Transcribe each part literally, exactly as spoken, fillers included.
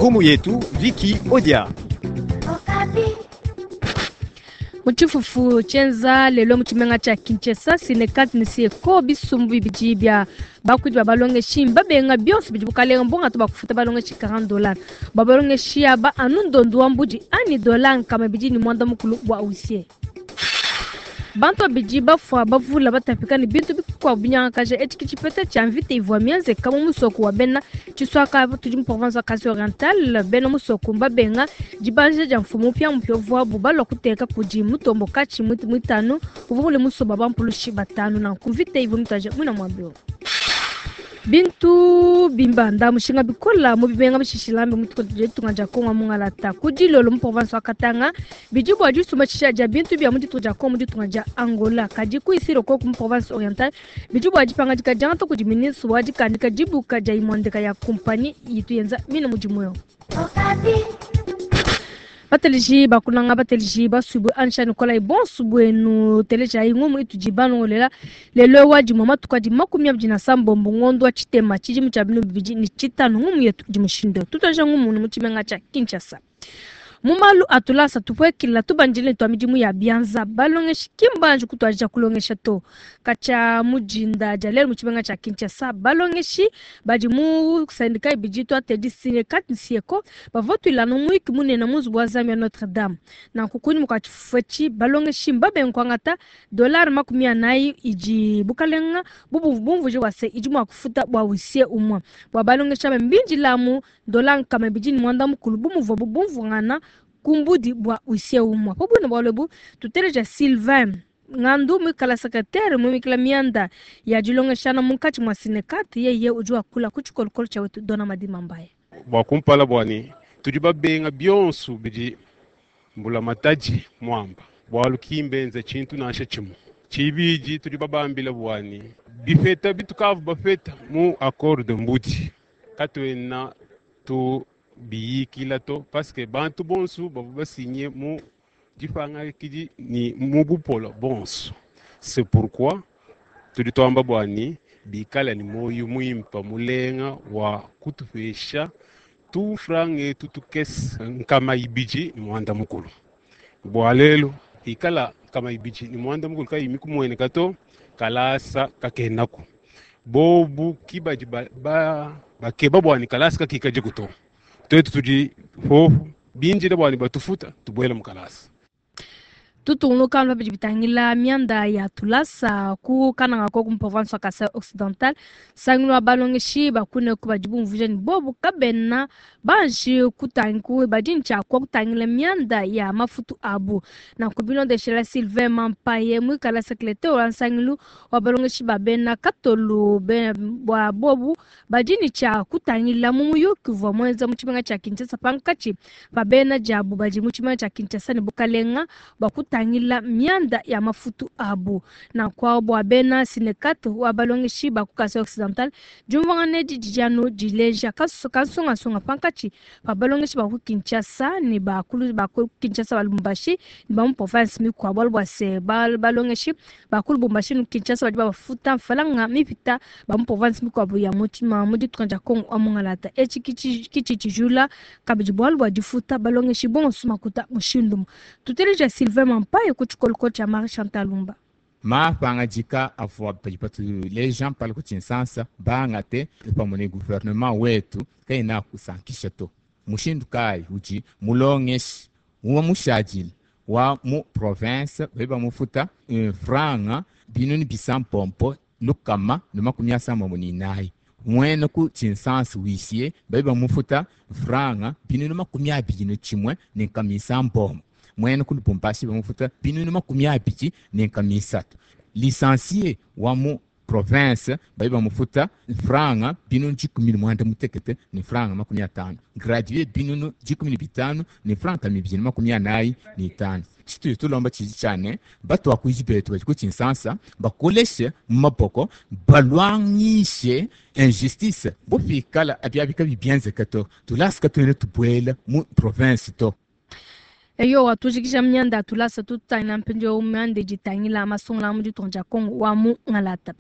Ngumu yetu Vicky Odia. Mu tshifufu tshienza lelo mu tshimenga tshia Kinshasa, Sinekat ne Syeko bisumbu bibidi bia bakuidi ba balongeshi mbabenga bionso bidi bukalenga mbongatu bakufuta balongeshi quarante dollars bua balongeshi aba anu ndondu wa mbudi ani dollar nkama ibidi ne muanda mukulu bua huissier. Bantu babidi bafua bavula batapika ne bintu bikuabu binyangakaja etshi ke tshipeta tshia mvita ivua mienzeka mu musoko wa bena Tshiswaka tudi mu province wa Kasai Oriental. Bena musoko mbabenga dibanjija dia mfumu mupiamupia uvuabu balua kuteka kudi mutombo katshi muitanu uvua mule musoba bampulushi batanu. Nanku mvita ivua mituaja muina muabi. Bintu bimbanda mushinga bikola mu bimenga bishishilambe mu ditunga dia Kongo mungalata ku dilolo mu province wa Katanga bidi bua disumba tshisha dia bintu bia mu ditunga dia Kongo mu ditunga dia Angola kadi ku Isiro ko mu province orientale bidi bua dipangadika diangata kudi ministre wa dikandika dibuka dia imondeka ya kumpanyi yitu yenza mina mudimu yo. Bateliji bakunanga bateliji basubu ansha Nikolai bonsu bwenu teleja ingumu itudi banongolela lelo wa dimwa matuka di makumi abidi na sambombo ngondo wa tshitema tshidimu tshia binu bibidi ni tshitanu ngumu yetu di mushindo tutuaja ngumu mu tshimenga tshia Kinshasa. Mu malu atulasa tupwekila tubanjile twa midimu ya bianza balongeshi kimbanji kutwaja kulongesha to kacha mujinda dia lelo mu tshimenga tshia Kinshasa balongeshi badi mu syndicat ibidi twatedi Sinekat ne Syeko bavua tuilana muiki munene mu nzubu wa Zambia Notre Dame. Nanku kunyima kua tshifufu etshi balongeshi mbabenga kuangata dollar makumi anayi idi bukalenga bubu bumvuje bua se idi mua kufuta bua huissier umue bua balongeshi aba mbinjilamu dollar nkama ibidi ne muanda mukulu bu muvuabu bumvuangana kumbudi bua huissier umue. Po bwina bualu ebu tuteleja Sylvain Ngandu mwikala secrétaire mwimikila mianda ya dilongeshana munkatshi mwa Sinekat yeye udi wakula ku tshikolokolo tshia wetu Dona Madima Mbaye. Bua kumpala bwani tudi babenga bionso bidi mbula mataji mwamba bualu kimbenze tshintu nansha tshimue. Tshibidi tudi babambila bwani bifeta bitukavu bafeta mu accord de mbudi katuena tu biyikila to parce que bantu bonso bavua basinye mu dipanga kidi ni mu bupolo bonso. C'est pourquoi tudi twamba bwani bikala ni moyo muimpa mulenga wa kutupesha tu frange tutukes nkama ibiji ni mwanda mukulu bwa lelo ikala nkama ibiji ni mwanda mukulu kayi mikumwene kato kalasa kakenaku bobu kibaji ba, ba, bakeba bwani kalasa kakikaje kuto twetu tudi fofu binjire bwani batufuta tubwele mukalasa. Tutungunuka bidi bitangila mianda ya tulasa ku kananga ko ku province wa Kasai Occidental sangino balongeshi bakune ku badi bumvuje ni bobu kabena banji kutangu badi ncha kwa kutangila mianda ya mafutu abu na kubilondeshela Sylvain Mampaye mwikala secrétaire wa nsangilu wa balongeshi babena katolu be bwa bobu badi ncha kutangila mu muyuki vwa mwenza mu tshimenga tshia Kinshasa pankachi babena jabu badi mu tshimenga tshia Kinshasa ne bukalenga bakuta tangila mianda ya mafutu abu na kwa bwa bena Sinekat wa balongeshi ba ku Kasai Occidental jumvangane dijano dileja kasunga sunga pankachi ba balongeshi ba ku Kinshasa ne ba kulu ba ku Kinshasa ba Lubumbashi ne ba mu province mikwa bwa bwa se ba balongeshi ba ku Lubumbashi ne Kinshasa badi ba futa mfalanga mipita ba mu province mikwa bu ya mutima mu ditunga dia Kongo amungalata echi kichi kichi tshijula kabidi bwa bwa difuta balongeshi bonso makuta mushindu tuteleja Sylvain Mampaye ku tshikoloko tshia Marie Chantal Lumba. Mapangajika avua patu les gens parlent ku Kinshasa bangate pamue ne gouvernement wetu kaina kusankisha to mushindu kai uji mulongeshi wa mushadile wa mu province beba mufuta franga binuni bisampompo lukama ne makumi asambombo ni inayi mwene ku Kinshasa huissier beba mufuta franga binuni makumi abidi ne tshimue ne nkama isambombo mwene ku Lubumbashi bamufuta binunu makumi abidi ne nkama isatu. Licencié wa mu province bali bamufuta franga binunu dikumi ne muanda mutekete ne franga makumi atanu. Gradué binunu dikumi ne bitanu ne franga mibidi ne makumi anayi ne itanu. Tshituyi tulomba tshidi tshiane batu akuidi betu badi ku Kinshasa bakoleshe mu maboko balwangishe injustice bofikala abiabika bibienzeka to tulasika tuene tubuela mu province to. Eyo watujikisha mnyanda tulasa tutangila mpindieu myanda idi itangila masungula mu ditunga dia Kongo wa mu ngalata.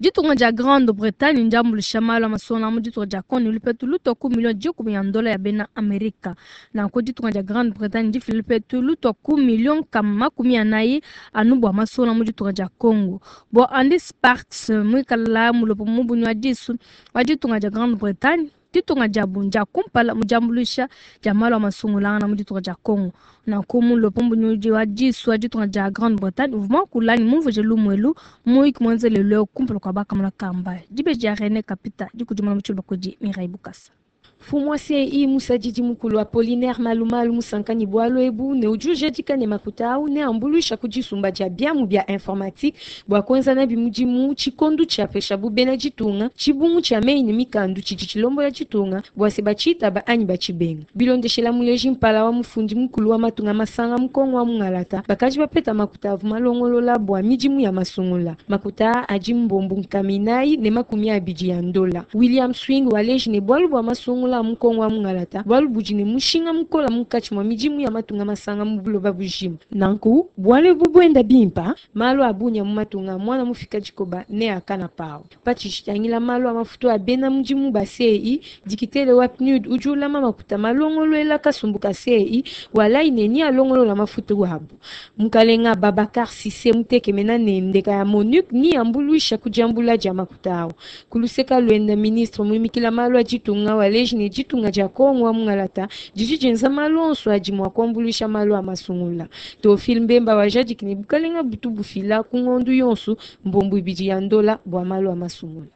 Ditunga dia Grande-Bretagne ndiambuluisha malu a masungula mu ditunga dia Congo ne lupetu lutua ku million dikumi ya ndola ya bena Amerika. Nanku ditunga dia Grande-Bretagne ndifile lupetu lutua ku million nkama makumi anayi anu bua masungula mu ditunga dia Congo. Bua Andy Sparks muikala mulopo mubunyi wa disu wa ditunga dia Grande-Bretagne, ditunga diabu ndia kumpala mu diambuluisha dia malu a masungulangana mu ditunga dia Congo. Nanku mulopo mubunyi wa disu wa ditunga dia Grande-Bretagne uvua muakula ne mumvuije lumuelu muyiki muenzele leo kumpala kua bakamona kamba. Dibeji dia René Kapita dikudimuna mu tshiluba kudi Mireille Bukasa. Mfumu wa C I musadidi mukulu Apollinaire Malumalu musankani bwalu ebu ne udi ujadika ne makuta au ne ambuluisha ku disumba dia biamu bia informatique bua kuenza nabi mudimu tshikondo tshiapeshabu bena ditunga tshibungu tshia meyi ne mikandu tshidi tshilombola ditunga bua se batshitaba anyi batshibenga. Bilondeshela muleji mpala wa mufundi mukulu wa matunga masanga mu Kongo wa mungalata, bakaji bapeta makuta avu malongolola bua midimu ya masungula. Makuta adi mbombu nkama inayi ne makumi abidi ya ndola. William Swing waleji ne bwalu bua masungula mu Kongo wa mungalata bwalu budi ne mushinga mukola munkatshi mwa midimu ya matunga masanga mu buloba bujima. Nanku bwalu ebu bwenda bimpa malu a bunya mu matunga mwana mufika dikoba ne akana pawo. Patshitshitangila malu a mafutu a bena mudimu ba C I, dikitele wa P N U D udi ulama makuta malongolwela kasumbu ka C I walayi ne ni alongolola mafutu wabu. Mukalenga Babakar Cissé mutekemena ne ndeka ya MONUC ni ambuluisha kudiambula dia makuta awo. Kuluseka lwenda, ministre muimikila malu a ditunga waleji ne ditunga dia Kongo wa mungalata didi dienza malu onso adi mua kuambuluisha malu a masungula. Théophile Mbemba wajadiki ne bukalenga butu bufila ku ngondu yonso mbombu ibidi ya ndola bua malu a masungula.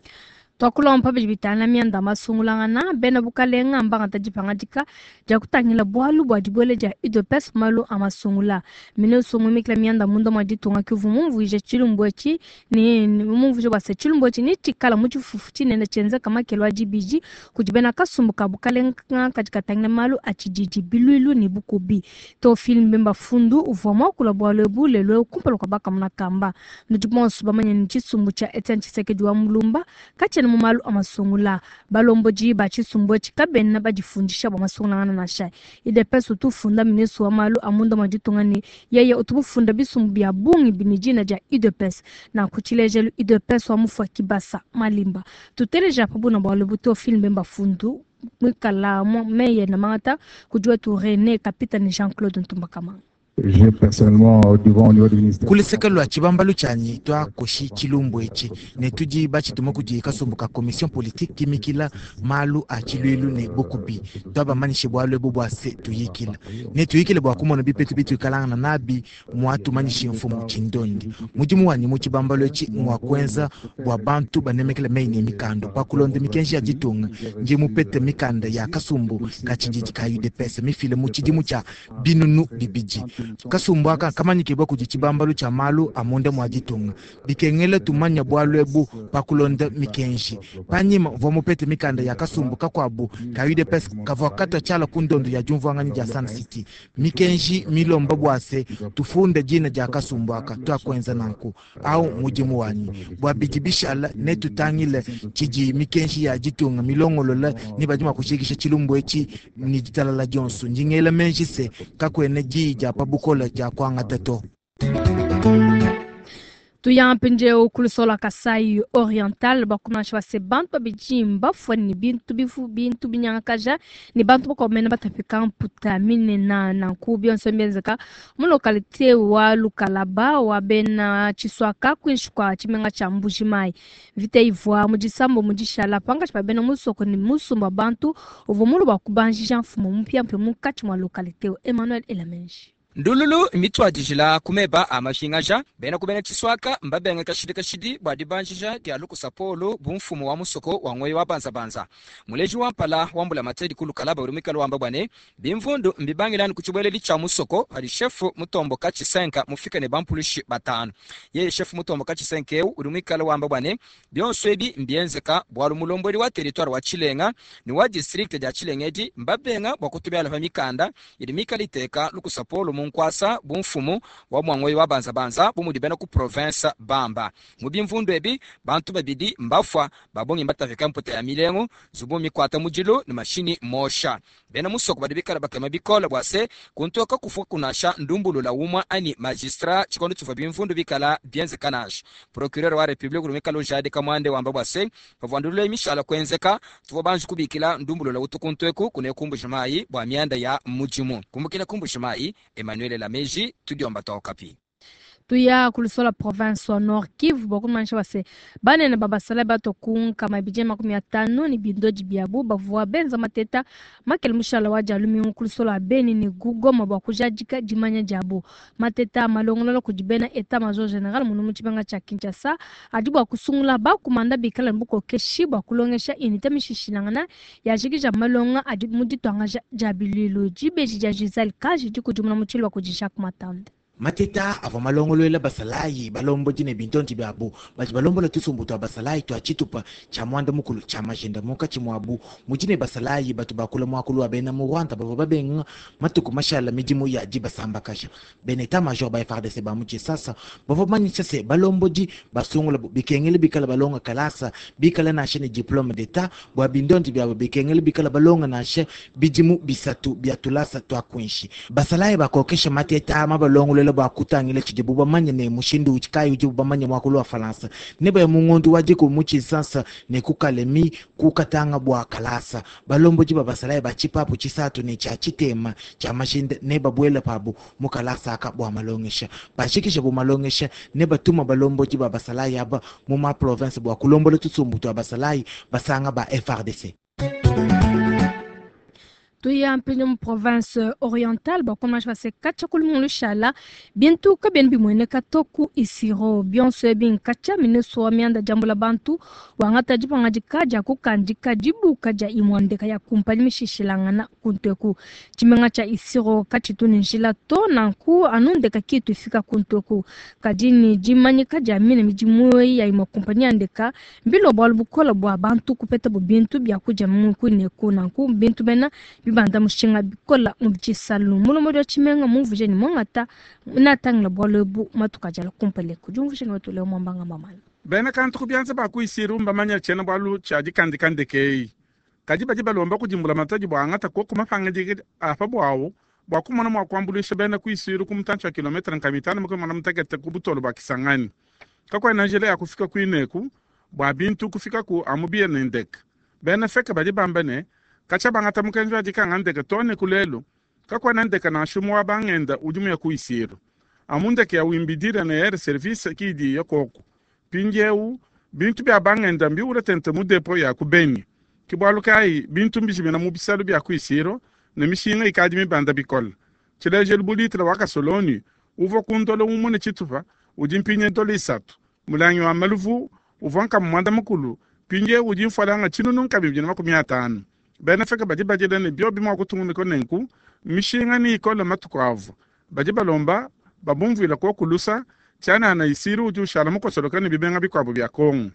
Twakulompa bidi bitana mianda masungulangana bena bukalenga mbangata dipangadika dia kutangila bwalu bua dibuela dia U D P S malu a masungula. Ministre muimikila mianda munda mwa ditunga kivu mumvuije tshilumbu etshi ne mumvuije bua se tshilumbu etshi ni tshikala mu tshifufu tshinene tshienzeka makelo a dibidi kudi bena kasumbu ka bukalenga kadi katangila malu a tshididi, bilwilu ne bukubi. Théophile Mbemba Fundu uvua muakula bwalu ebu lelo kumpala kua bakamuna kamba. Nudi bonso bamanye ne tshisumbu tshia Etienne Tshisekedi wa Mulumba katshiena mu malu a masungula. Balombodi ba tshisumbu etshi kabena badifundisha bua masungulangana nansha. U D P S utu ufunda ministre wa malu a munda mwa ditunga ne yeye utu mufunda bisumbu bia bungi bini dina dia U D P S. Nanku tshilejelu U D P S wa mufua Kibasa Malimba. Tuteleja pa buna bwalu bu Théophile Mbemba Fundu mwikala meye na mangata kudi wetu René Kapita ne Jean-Claude Ntumbakamanga. J'ai personnellement devant au niveau du ministère. Kuluseka lwa tshibambalu tshianyi twakoshi tshilumbu etshi ne tudi batshituma kudi kasumbu ka commission politique kimikila malu a tshilwilu ne bukubi. Twabamanyishe bwalu ebu bua se tuyikila ne tuyikile bua kumona bipetu bituikalangana nabi mwatumanyishe mfumu tshindondi. Mudimu wanyi mu tshibambalu etshi ngwa kuenza bua bantu banemekela meyi ne mikando pa kulonda mikenji ya ditunga. Ndi mupete mikanda ya kasumbu ka tshididi ka U D P S mifile mu tshidimu tshia binunu bibidi. Kasumbu aka kamanyikibwa kudi tshibambalu tshia malu a munda mwa ditunga. Bikengela tumanya bwalu ebu pa kulonda mikenji. Panyima mvua mupete mikanda ya kasumbu kakuabu ka U D P S kavua katwa tshiala ku ndondo ya diumvuanganyi dia Sun City. Mikenji milomba bua se tufunde dina dia kasumbu aka, twakuenza nanku. Au mudimu wanyi bua bidi bishala ne tutangile tshidi mikenji ya ditunga milongolola ni badi mua kushikisha tshilumbu etshi ni ditalala dionso. Ndingela menji se kakuena diyi dia pa bukola dia kuangata to. Tuya mpindieu ku lusolo Kasai Oriental. Bakumansha base bantu babidi mbafua ne bintu bifu bintu binyangakaja ne bantu bakomena batapika mputa minena. Nanku bionso mbienzeka mu localité wa Lukalaba wa bena Tshiswaka kuinshi kua tshimenga tshia Mbujimayi. Mvita ivua mu disambo mu dishala pangatshi pa bena musoko ne musumba bantu uvua mulu bua kubanjija mfumu mupiamupia munkatshi mua localité. Emmanuel Elamenji. Ndululu mitwadijila kumeba a mapingaja bena kubena tshiswaka mbabenga kashidi kashidi bua dibanjija dia lukusa polo bu mfumu wa musoko wa ng'oyi wa banzabanza. Muleji wa mpala wa mbula matedi ku Lukalaba uli mwikala wamba bwane bimvundu mbibangilani ku tshibweleli tshia musoko padi shefu Mutomboka Tshisenka mufika ne bampulushi batanu. Yeye shefu Mutomboka Tshisenka eu uli mwikala wamba bwane bionso ebi mbienzeka bwalu mulomboli wa territoire wa Tshilenga ni wa district dia Tshilenga edi mbabenga bua kutubiala pa mikanda idi mikala iteka lukusa polo mu mu nkwasa bu mfumu wa mwangoyi wa banzabanza bu mudi bena ku province bamba. Mu bimvundu ebi bantu babidi mbafwa babongi mbatafika mputa ya milengu zubu mikwata mudilu ne mashini mosha. Bena musoko badi bikala bakema bikola bwa se kuntoka kufwa kunasha ndumbulula umwa ani magistrat chikondo chifwa bimvundu bikala bienzeka nasha. Procureur wa Republique rumikalo jade kamwande wamba bwa se pavwandulule mishala kwenzeka tuvo banji kubikila ndumbulula utukuntweku kunekumbusha mai bwa mianda ya mujimu. Kumbukila kumbusha mai Emmanuel Lameji tudiomba tokapi. Tuya kulusola province wa Nord Kivu bakumanyisha base banene babasala batokunka mabije makumi atano ni bindoji byabu bavua benza mateta makele mushala wa jalumingu kulusola Beni ni Goma bwa kujadika dimanya jabu mateta malongololo kudibena eta major general munu muchibanga cha Kinshasa adi bwa kusungula bakumanda bikala mbuko keshi bwa kulongesha unité mishishilangana yajikija malonga adi muditwanga jabililo jibeji ja Giselle Kaji dikudimuna muchilo wa kujisha kumatanda. Mateta avua malongolwela basalayi balombo dine bintonji byabu badi balombola tusumbu twa basalayi twa tshitupa tshia mwanda mukulu tshia majenda munkatshi muabu mudine basalayi batu bakula muakulu wa bena mu Rwanda bavua babenga matuku mashala midimu ya dibasambakasha. Bena état major ba F R D C ba mu Tshisasa bavua bamanyisha se balombodi basungula bikengele bikala balonga kalasa bikala nashe ne diplôme d'état bua bintonji byabu bikengele bikala balonga nashe bidimu bisatu bya tulasa twa kwinshi. Basalayi bakokesha mateta mabalongolwela bua kutangila tshidibu bamanye ne mushindu utshikayi udibu bamanye muakulu wa Falansa ne baya mungondu wa diku mu Tshisasa ne kukalemi kukatanga bua kalasa. Balombodi ba basalayi ba tshipapu tshisatu ne tshia tshitema tshia mashinde ne babuela pabu mu kalasa aka bua malongesha. Bashikisha bu malongesha ne batuma balombodi ba basalayi aba mu ma province bua kulombola tusumbu twa basalayi basanga ba F R D C. Tuya mpinyo mu province orientale bakomasha base kacha kulumungu shala bintu kabeni bimweneka toku isiro bionso binkacha ministre wa mianda jambo la bantu wangata dipanga dikaja kukandika dibuka dia imwandeka ya kumpani mishishilangana kunteku tshimenga tsha isiro kachitu ni njila to nanku anundeka kitu ifika kunteku kadini dimanyika dia mine midimu ya imwa kumpani andeka mbilo bwalu bukola bwa bantu kupeta bu bintu bya kuja mu kuneku nanku bintu bena bibanda mushinga bikola mu bisalu mulomo dya tshimenga mumvuje ni mongata natangila bwalo bu matuka jala kumpale kujumvuje ni watule mwambanga mamala bena kantu kubyanza bakuisiru mbamanya tshena bwalu tshia dikandikandekei kadi badi balomba kudimbula matadi bwa angata koko mapanga diki apa bwawo bwa kumona mwa kuambulisha bena kuisiru ku mutantshi wa kilometre nka mitano mukumona mutekete ku butolo bwa Kisangani kakwena njela ya kufika kuineku bwa bintu kufika ku amubiye nendeka bena feka badi bamba ne kacha bangata mukenji wa dikanga ndeke tone kulelu kakwena ndeke na shumu wa bangenda udimu ya kuisiru amundeke ya wimbidira na air service kidi ya koko pinjeu bintu bya bangenda mbiure tente mu depo ya kubeni kibwalu kai bintu mbijimina mu bisalu bya kuisiro ne mishinga ikadi mibanda bikola tshilejelu bulitila wa kasoloni uvo kundolo umune tshitupa udi mpinye ndolo isatu mulangi wa maluvu uvo nka mwanda mukulu pinjeu udi mfwalanga tshinunu nka bibili na makumi atanu bena feka badi badila ne biobi mwa kutunguniko nenku mishinga ni ikola matuku avo badi balomba babumvila ko kulusa tshianana isiru udi ushala mukosoloka ne bibenga bikuabu bya Kongo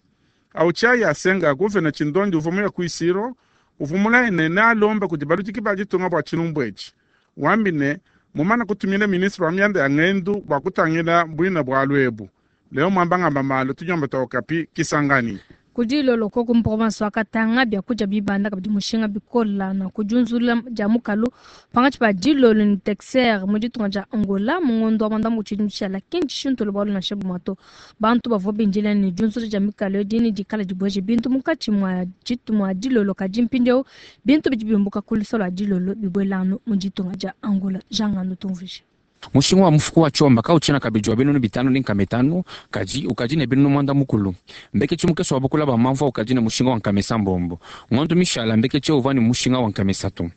au tshia ya senga guvena tshindondi uvo muya kuisiro uvumula ene ne alomba kudi baludiki ba ditunga bua tshilumbu etshi wambi ne mumana kutumila ministre wa mianda ya ngendu bua kutangila bwina bwa lwebu leo mwambangamba malo tunyomba tokapi Kisangani kudilolo koko mprovince wa Katanga bya kuja bibanda kabidi mushinga bikola na kujunzula ja mukalu pangatshi pa dilolo ni texer mu ditunga dia Angola mungondo wa manda mutshidi mtshala kinji shinto bwalu na shebu mato bantu bavua binjila ni junzula ja mikalu dini dikala dibweje bintu munkatshi mwa jitu mwa dilolo kadi mpindieu bintu bidi bimbuka kulusolo ya dilolo bibwelanu mu ditunga dia Angola jangano tumvishe mushinga wa mufuko wa chomba kauchena kabidi wa binunu bitano ni nkame tano kaji ukaji ne binunu mwanda mukulu mbeke chimukeso wa bukula ba mamva ukaji ne mushinga wa nkame sambombo ng'ondu mishala mbeke che uva ni mushinga wa nkame satu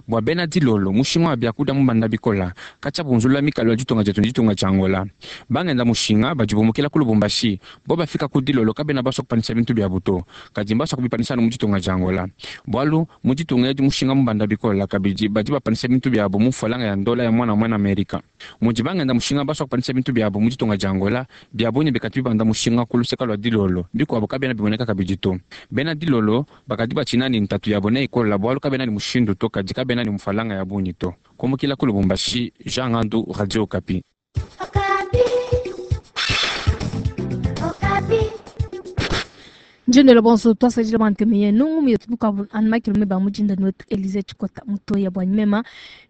bwa bena dilolo mushinga wa byakuda mubanda bikola kacha bunzula mikalo ya ditunga jetu ditunga tshia Angola bangenda mushinga badibumukila ku Lubumbashi bo bafika ku dilolo kabena baswa kupanisha bintu bya buto kadi mbaswa kubipanisha mu ditunga tshia Angola bwalu mu ditunga edi mushinga mubanda bikola kabidi badi bapanisha bintu byabo mu mfualanga ya ndola ya mwana mwana Amerika mudi bangenda mushinga baswa kupanisha bintu byabo mu ditunga tshia Angola byabonye bikati bibanda mushinga ku luseka lwa dilolo bikuabo kabena biboneka kabidi to bena dilolo bakadi batshina ni ntatu yabo ne ikola bwalu kabena ni mushindu to kadi kadi kabena ne mfalanga ya bungi to. Kumukila ku Lubumbashi, Jean Ngandu, Radio Okapi. Njendela bonso twasajila banteme yenu ngumi bukavu anmakilome ba mujinda wetu Elize Chikota mutoya bwa mema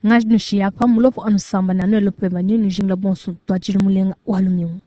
ngajnushi yapa mulopo anusamba na nwelo peba nyinu jingla bonso twajili mulenga walumiu.